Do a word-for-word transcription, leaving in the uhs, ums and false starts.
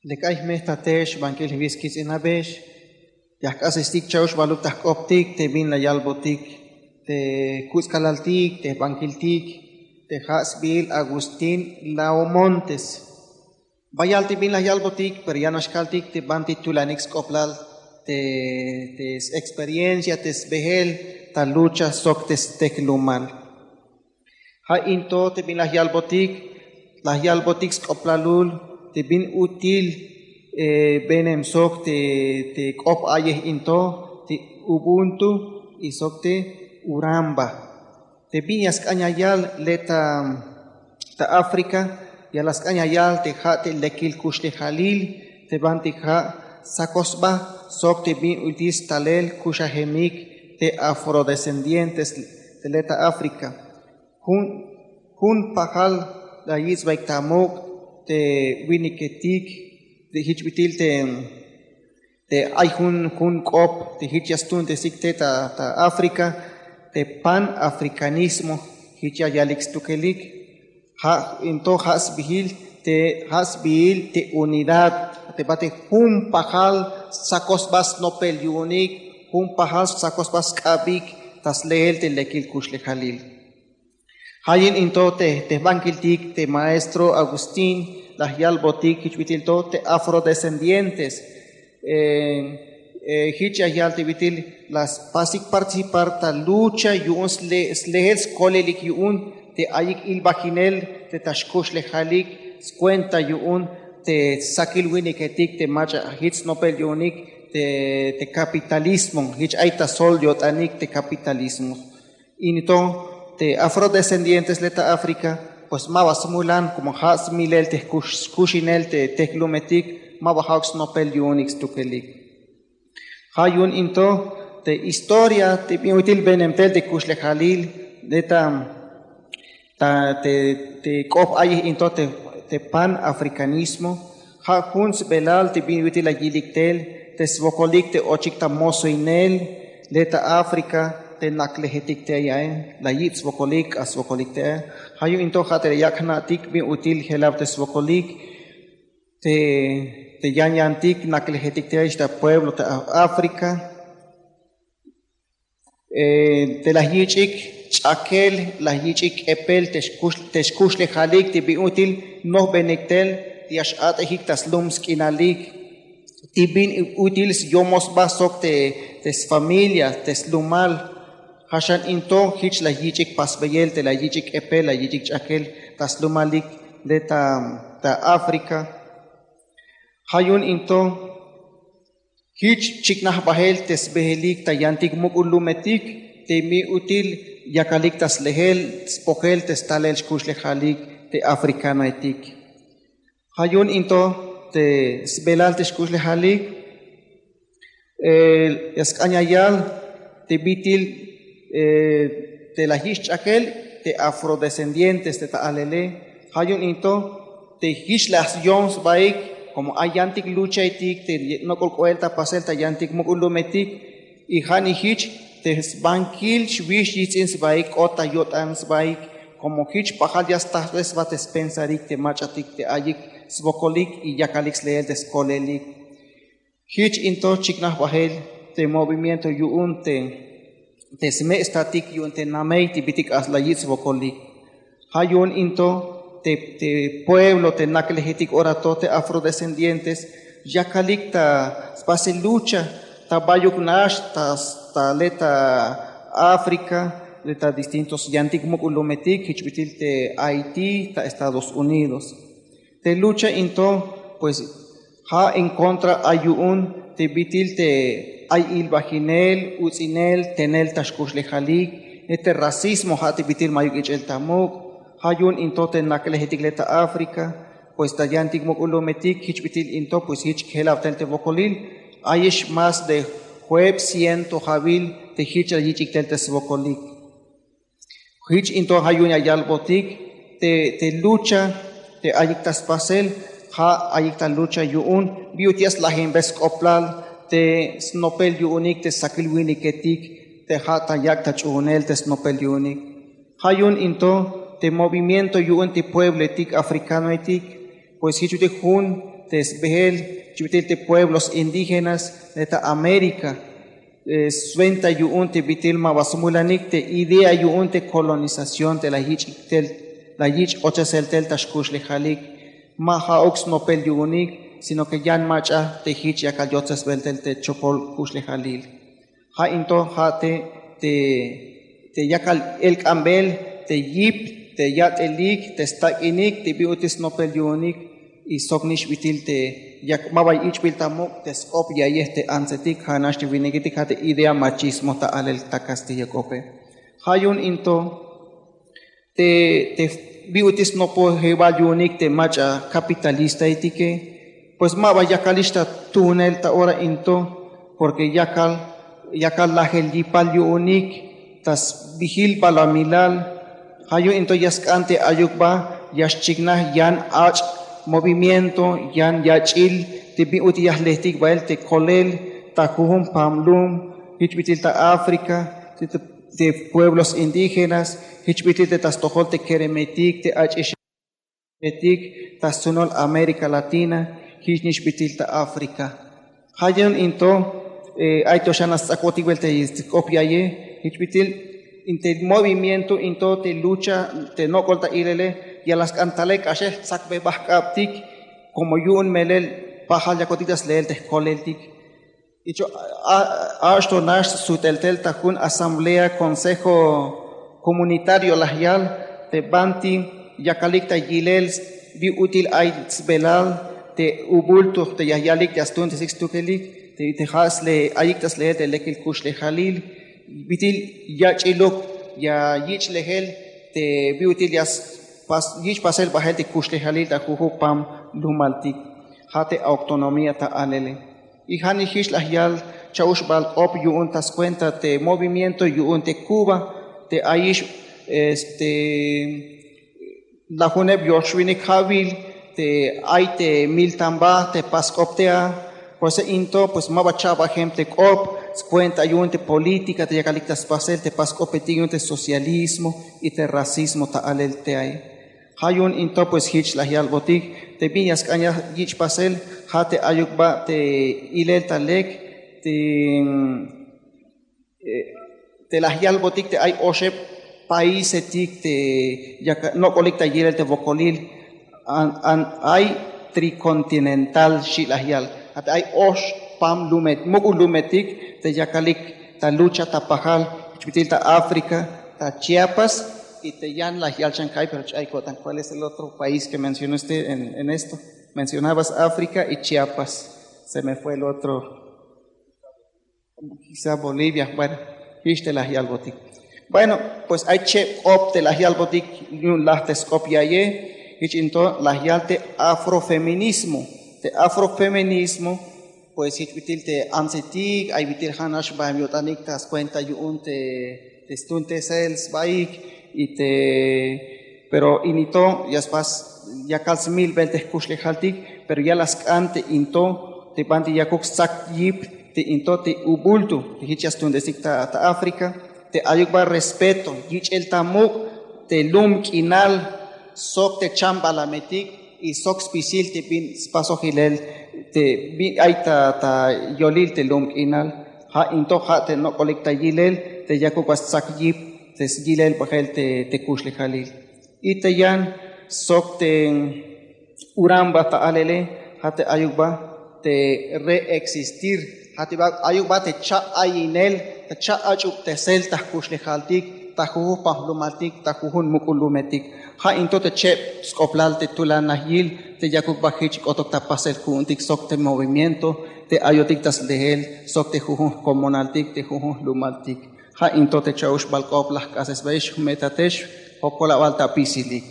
Lek ay jmejtatex bankil jwis kits'inabex, ya jk'asestik cha'ox baluk ta jk'optik te bin la yalbotik te kutz'kalaltik, te jbankiltik, te ja' sbiil Agustín Laomontes. Bayal te bin la yalbotik, pero ya nax kaltik te banti tulanik sk'oplal te, te s-experiencia, te sbehel ta lucha sok te steklumal. Ja' in to te bin la yalbotik, la yalbotik sk'oplalul te bin ut'il, eh, benem sok te, te k'op a'yej in to, te Ubuntu y sok te Uramba. Te bin ya sk'an ya yal le' ta, ta África, ya la sk'an ya yal te ja' te lekil kuxlejalil, te banti ja' sakoj sba sok te bin ut'il stalel kuxajemik te afrodescendientes te le' ta África. Jun, jun pajal la yich' sbaik ta muk' te winiketik, te jich bit'il te, te ay jun, jun k'op te jich ya stuuntesik te ta, ta África, te panafricanismo, jich ya yalik stukelik. Ja' in to ja' sbiil te, ja' sbiil te unidad, te bate jun pajal sakoj sba snopel yu'unik, jun pajal sakoj sba sk'abik ta sleel te lekil kuxlejalil. Ja' yu'un in to te, te jbankiltik te maestro Agustín la yalbotik jich bit'il to te afrodescendientes. Eh, eh, jich ya yal te bit'il la spasik participar ta lucha yu'un sle-, sleel skolelik yu'un te ayik ilbajinel te ta xkuxlejalik skuenta yu'un te sakil winiketik te mach'a jich snopel yu'unik te, te capitalismo, jich ay ta sjol yo'tanik te capitalismo. In to te afrodescendientes le' ta África, pues ma ba smulan, como ja' smilel te kux-, kuxinel te tejlumetik, ma ba ja'uk snopel yu'unik stukelik. Ja' yu'un in to te historia te bin ut'il benem tel te kuxlejalil le' ta, ta, te, te k'op a'yej in to te, te panafricanismo, ja' jun sbelal te bin ut'il la yilik tel te swokolik te ochik ta mosoinel le' ta África te naklejetik te yae, la yich' swokolik, k'ax swokolik te yae. Ja' yu'un in to ja' te la yak' jna'tik bin ut'il jelawtej swokolik te, te yan yantik naklejetik te yae ta pueblo ta África. Eh, te la yich'ik ch'akel, la yich'ik k'epel te xkux-, te xkuxlejalik te bin ut'il nojbenik tel te ya x-a'tejik ta slum sk'inalik, te bin ut'il syomoj sba sok te, te sfamilia, te slumal. Ja' xan in to jich la yich'ik pasbeyel te la yich'ik k'epel, la yich'ik ch'akel ta slumalik le' ta, ta África. Ja' yu'un in to jich chiknaj bajel te sbehelik ta yantik muk'ul lumetik te bin ut'il yakalik ta slejel spojel te stalel xkuxlejalik te africanoetik. Ja' yu'un in to te sbelal te xkuxlejalik, eh, ya sk'an ya yal te bit'il, eh, te la yich' ch'akel te afrodescendientes te ta alele. Ja' yu'un in to te jich la yom sbaik, como ay yantik luchaetik te ye-, nok'ol k'oel ta pasel ta yantik muk'ul lumetik, y ja'nix jich te sbankil xwix yijts'in sbaik, k'ot ta yo'tan sbaik, como jich pajal ya stajbej sba te spensarik te mach'atik te ayik swokolik y yakalik sleel te skolelik. Jich in to chiknaj bajel te movimiento yu'un te, te sme' statik yu'un te namey te bit'il k'ax la yich' swokolik. Ja' yu'un in to te, te pueblo te naklejetik ora to te afrodescendientes yakalik ta spasel lucha ta bayuk nax ta, ta le' ta África, le' ta distintos yantik muk'ul lumetik, jich bit'il te Haití, ta Estados Unidos. Te lucha in to, pues, ja' en contra ay yu'un te bit'il te ay ilbajinel, uts'inel, tenel ta xkuxlejalik, te racismo ja' te bit'il ma'yuk ich'el ta muk'. Ja' yu'un in to te naklejetik le' ta África, pues ta yantik muk'ul lumetik jich bit'il in to, pues jich jelawtel te wokolil. Ayex más de jueb ciento ja'wil te jich la yich'ik tel te swokolik. Jich in to ja' yu'un ya yalbotik te, te lucha te ayik ta spasel, ja' ayik ta lucha yu'un bin ut'il ya slajinbej sk'oplal te snopel yu'unik te sakil winiketik te ja' ta yak' ta ch'uunel te snopel yu'unik. Ja' yu'un in to te movimiento yu'un te puebloetik africanoetik, pues jich ut'il jun te sbehel, jich bit'il te pueblos indígenas te ta América, swenta yu'un te bit'il ma ba smulanik te idea yu'un te colonización te la yich' tel, la yich' ochesel tel ta xkuxlejalik. Ma ja'uk snopel yu'unik, sino ke yan mach'a te jich yakal yotsesbel tel te chopol kuxlejalil. Ja' in to ja' te te yakal elk'ambel te yip, te yat'elik, te stak'inik te bi ut'il snopel yu'unik. Y sok nix bit'il te yak ma ba ich'bil ta muk' te sk'op ya'yej te antsetik, ja' nax te winiketik ja' te idea machismo ta alel ta kastilla k'ope. Ja' yu'un in to te te bi ut'il snopojebal yu'unik te mach'a kapitalistaetike, pues ma ba yakalix ta tuunel ta ora in to, porke yakal yakal lajel yipal yu'unik ta sbijil balamilal. Ja' yu'un in to ya sk'an te ayuk ba ya xchiknaj yan ach' movimiento, yan yach'il te bi ut'il ya jlejtik bael te kolel ta jujun pam lum, jich bit'il ta África, te pueblos indígenas, jich bit'il te ta stojol te keremetik, te ach'ixetik, ta stunol América Latina, jich nix bit'il ta África. Ja' yu'un in to ay to xan sts'akbotik bel te sk'op ya'yej, jich bit'il in te movimiento in to te lucha te nok'ol ta ilele ya la sk'an talel k'axel jtsakbebaj jk'abtik, como yu'un melel pajal yakotik ta sleel te jkoleltik. Icho a'xto nax sut'el tel ta jun asamblea, consejo comunitario laj yal te banti yakalik ta yilel bi ut'il ay sbelal te ubulto te ya yalik ya stuuntesik stukelik te ja' ayik ta sleel te lekil kuxlejalil, bit'il yach'iluk ya yich' lejel te bi ut'il ya yich' pasel bajel te kuxlejalil ta jujun pam lumaltik. Ja' te autonomía ta alele. Y ja' nix jich laj yal cha'uxbal k'op yu'un ta skuenta te movimiento yu'un te Cuba te ayix este lajuneb yoxwinik ja'wil te ay te miltamba te pas k'op te a. Por eso in to pues ma ba cha'bajem te k'op skuenta yu'un te política te yakalik ta spasel te pas k'opetik yu'un te socialismo y te racismo ta alel te ay. Ja' yu'un in to pues jich laj yalbotik te bin ya sk'an ya yich' pasel. Ja' te ayuk ba te ilel ta lek te te laj yalbotik te ay oxeb paisetik te yak nok'olik ta yilel te wokolil ay tricontinental xi' laj yal. Ja' te ay ox pam lumet muk'ul lumetik te yakalik ta lucha ta pajal, jich bit'il ta África, ta Chiapas y te yan laj yal chan ka'ay pero ch'ay ko'tan cuál es el otro país que mencionó usted en esto? Mencionabas África y Chiapas. Se me fue el otro. Quizá Bolivia. Bueno, jich te laj yalbotik. Bueno, pues ay cheb k'op te laj yalbotik yu'un laj te sk'op ya'yej. Jich in to laj yal te afrofeminismo. Te afrofeminismo pues jich bit'il te antsetik ay bit'il ja' nax baem yo'tanik ta skuenta yu'un te stuuntesel sbaik y te pero ini to ya spas yakal smilbel te jkuxlejaltik, pero ya la sk'an te in to te banti yakuk stsak yip te in to te ubulto te jich ya stuuntesik ta África te ayuk ba respeto yich'el ta muk' te lum k'inal sok te chambalametik y sok spisil te bin spasojilel te bin ay ta yolil te lum k'inal. Ja' in to ja' te nok'olik ta yilel te yakuk ba stsak yip te yilel bajel te kuxlejalil. Y te yan sok te uramba ta alele ja' te ayuk ba te reexistir, ja' te ayuk ba te cha'ayinel te cha'ach'ubtesel ta jkuxlejaltik ta jujun pajlumaltik ta jujun muk'ul lumetik. Ja' in to te cheb sk'oblal te tulan najyil te yakuk ba jich k'otok ta pasel ku'untik sok te movimiento te ayotik ta slehel sok te jujun jkomonaltik te jujun jlumaltik. Ja' in to te cha'uxbal k'op la jk'asesbayex jme'tatex. Jokolabal ta apisilik.